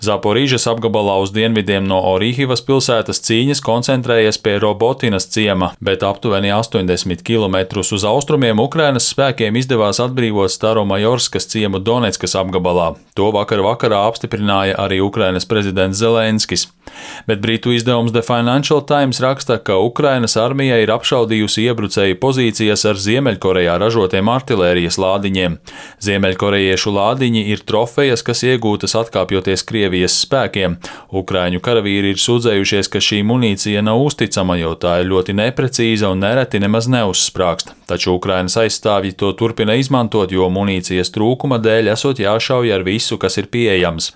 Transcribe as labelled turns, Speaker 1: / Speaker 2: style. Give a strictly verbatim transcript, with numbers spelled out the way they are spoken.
Speaker 1: Zaporīžas apgabalā uz dienvidiem no Orihivas pilsētas cīņas koncentrējies pie Robotinas ciema, bet aptuveni astoņdesmit kilometrus uz austrumiem Ukrainas spēkiem izdevās atbrīvot Staromajorskas ciemu Doneckas apgabalā. To vakar vakarā apstiprināja arī Ukrainas prezidents Zelenskis. Bet Britu izdevums The Financial Times raksta, ka Ukrainas armija ir apšaudījusi iebrucēju pozīcijas ar Ziemeļkorejā ražotiem artilērijas lādiņiem. Ziemeļkorejiešu lādiņi ir trofejas, kas iegūtas atkāpjoties Krievijas spēkiem. Ukraiņu karavīri ir sūdzējušies, ka šī munīcija nav uzticama, jo tā ir ļoti neprecīza un nereti nemaz neuzsprāgst. Taču Ukrainas aizstāvji to turpina izmantot, jo munīcijas trūkuma dēļ esot jāšauj ar visu, kas ir pieejams.